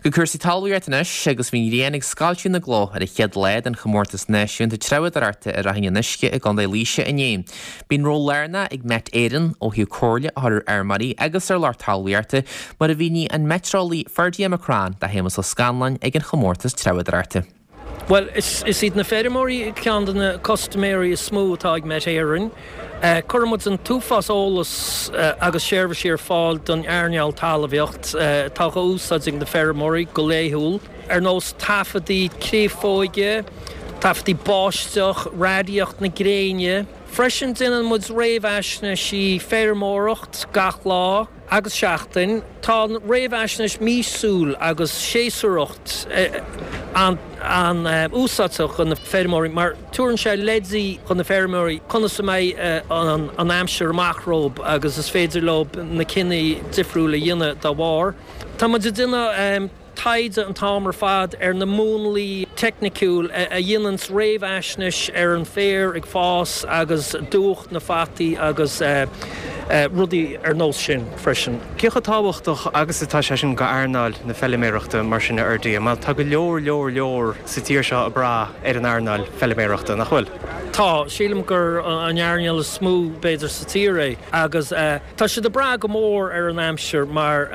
Go cúrsaí talmhaíochta anois agus bhí an ghrian ag scoilteadh na gcloch ar an chéad lá den chomórtas náisiúnta treabhadóireachta i Ráithín an Uisce i gContae Laoise inné. Bíonn ról lárnach ag Met Éireann ó thaobh comhairle a chur ar fheirmeoirí agus ar lucht talmhaíochta mar a mhínigh an meitéareolaí Ferdia McCrann do Shéamus Ó Scanláin ag an chomórtas treabhadóireachta. Bhuel, is iad na feirmeoirí ceann de na custaiméirí is mó atá ag Met Éireann. Cuireann muid an t-uafás eolas agus seirbhísí ar fáil don earnáil talmhaíocht atá á úsáid ag na feirmeoirí go laethúil, ar nós taifeadtaí créafóige, taifeadtaí báisteach, radaíocht na gréine. Freisin déanann muid réamhaisnéisí feirmeoireacht gach lá. agus seachtain. Tá an réamhaisnéis míosúil agus séasúracht an-úsáideach do na feirmeoirí mar tabharann sé leidí do na feirmeoirí conas a mbeidh an aimsir amach rompu agus is féidir leo na cinní difriúil a dhéanamh dá bharr. Tá muid ag déanamh. taighde an t-am ar fad ar na múnlaí teicniciúil a dhéananns réamhaisnéis ar an féar ag fás agus dúch na fataí agus rudaí ar nós sin freisin. Cé chomh tábhachtach agus atá sé sin go earnáil na feiliméarachta mar sin a Fherdia? Mar tá go leor leor leor sa tír seo ag brath ar an earnáil feiliméarachta, nach bhfuil? Tá. Sílim gur an earnáil is mó b'fhéidir sa tír é agus tá siad ag brath go mór ar an aimsir mar.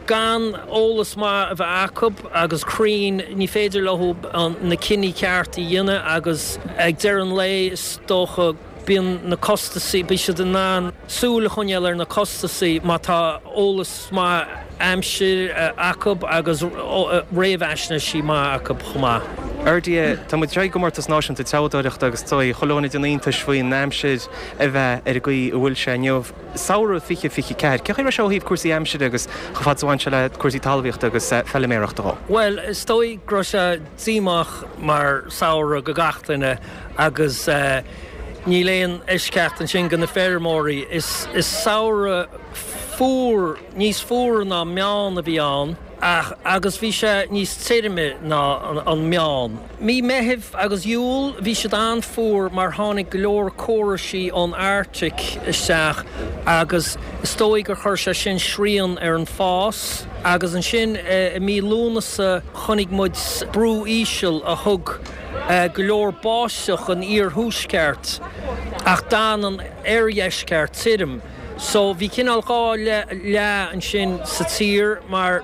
Gan eolas maith a bheith acu agus cruinn, ní féidir leo na cinní ceart a dhéanamh agus ag deireadh an lae is dócha bíonn na costasaí, bíonn siad in ann súil a choinneáil ar na costasaí má tá eolas maith aimsire acu agus réamhaisnéisí maith acu chomh maith. Ferdia, tá muid i gcomórtas náisiúnta treabhdóireachta agus tá chuile dhuine ag déanamh iontais faoin aimsir a bheith ar an gcaoi a bhfuil sé inniu. Samhradh 2024, cén chaoi a raibh sé ó thaobh cúrsaí aimsire agus chomh fada is a bhain sé le cúrsaí talmhaíochta agus feiliméarachta dhó? Bhuel, is dóigh go raibh sé díomách mar samhradh go gach duine agus níl aon eisceacht ansin go na feirmeoirí. Is samhradh fuar, níos fuaire ná meán a bhí ann ach agus bhí sé níos tirime ná an meán. Mí Meithimh agus Iúil bhí siad an-fhuar mar tháinig go leor córaisí ón Arctic isteach agus is dóigh gur chuir sé sin srian ar an fás. Agus ansin i mí Lúnasa chonaic muid brú íseal a thug go leor báisteach don iarthuaisceart ach d'fhan an oirdheisceart tirim. So bhí cineál 2 leath ansin sa tír mar.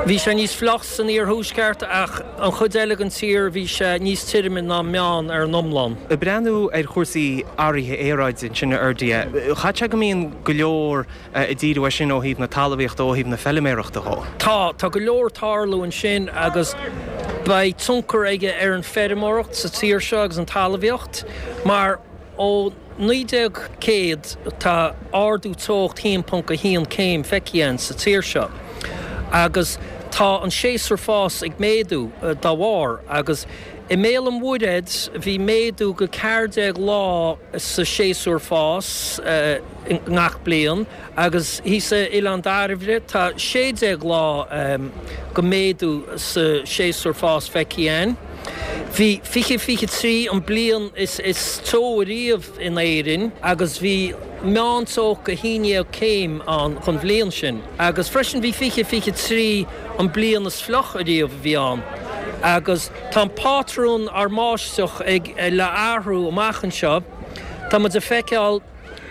Bhí sé níos fliuch san iarthuaisceart ach an chuid eile den tír bhí sé níos tirime ná meán ar an iomlán. Ag breathnú ar chúrsaí athraithe aeráide ansin a Fherdia, chaithfeadh sé go mbíonn go leor ag díriú air sin ó thaobh na talmhaíochta, ó thaobh na feiliméarachta dhó. Tá, tá go leor ag tarlú ansin agus beidh tionchar aige ar an feirmeoireacht sa tír seo agus an talmhaíocht mar ó 1900 tá ardú teocht 1.1 céim feicthe againn sa tír seo agus tá an séasúr fás ag méadú dá bharr agus i mBéal an Mhuirthead bhí méadú go 14 lá sa séasúr fás i ngach bliain agus thíos i Oileán Dairbhre tá 16 lá go méadú sa séasúr fás feicthe againn. Bhí 2023 an bliain is teo ariamh in Éirinn agus bhí meánteocht go 11 céim ann don bhliain sin. Agus freisin bhí 2023 an bliain is fliuch ariamh a bhí ann. Agus tá an pátrún ár mbáisteach ag le athrú amach anseo. Tá muid ag feiceáil.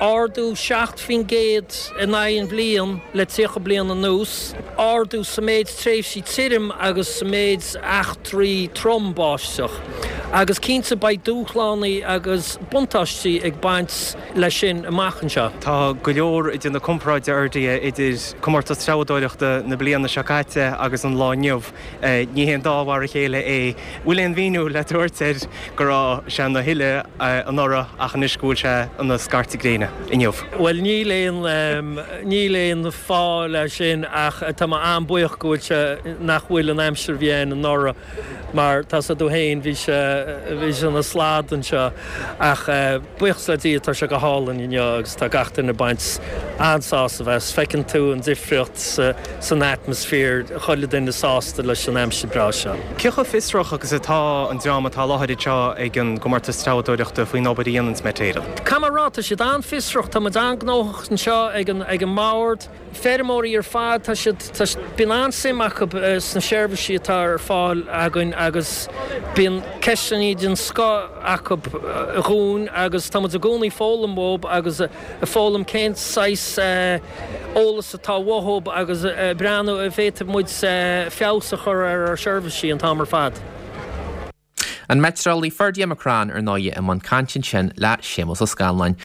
Ardú 7% in aghaidh an bhliain le 30 bliain anuas, ardú sa méid tréimhsí tirim agus sa méid eachtraí trom báisteach. Agus cinnte beidh dúshlánaí agus buntáistí ag baint leis sin amach anseo. Tá go leor ag déanamh comparáide a Fherdia idir comórtas treabhdóireachta na bliana seo caite agus an lá inniu. Ní haon dá mhar a chéile é. Bhfuil aon mhíniú le tabhairt air go raibh sé ina thuile anuraidh ach anois go bhfuil sé ina scairteadh gréine inniu? Bhuel níl aon, níl aon fáth leis sin ach tá mé an-buíoch go bhfuil sé, nach bhfuil an aimsir a bhí ann anuraidh mar tá 's agat féin bhí sé. bhí sé ina slad anseo ach buíochas le Dia tá sé go hálainn inniu agus tá gach duine ag baint an-sásamh as. Feiceann tú an difríocht san atmaisféar, chuile duine sásta leis an aimsir breá seo. Cé chomh fiosrach agus atá an dream atá i láthair anseo ag an gcomórtas treabhadóireachta faoin obair a dhéananns Met Éireann? Caithfidh mé a rá, tá siad an-fhiosrach, tá muid an-ghnóthach anseo ag an mbord. Feirmeoirí ar fad, tá siad, tá, bíonn an-suim acu sna seirbhísí atá ar fáil againn agus bíonn ceisteanna den scoth acu dhúinn agus tá muid i gcónaí ag foghlaim uathu agus ag foghlaim cén saghas eolas atá uathu agus ag breathnú an bhféadfaidh muid feabhas a chur ar ár seirbhísí an t-am ar fad. An Meiteareolaí Ferdia McCrann ar ndóigh i mbun cainte ansin le Séamus Ó Scanláin.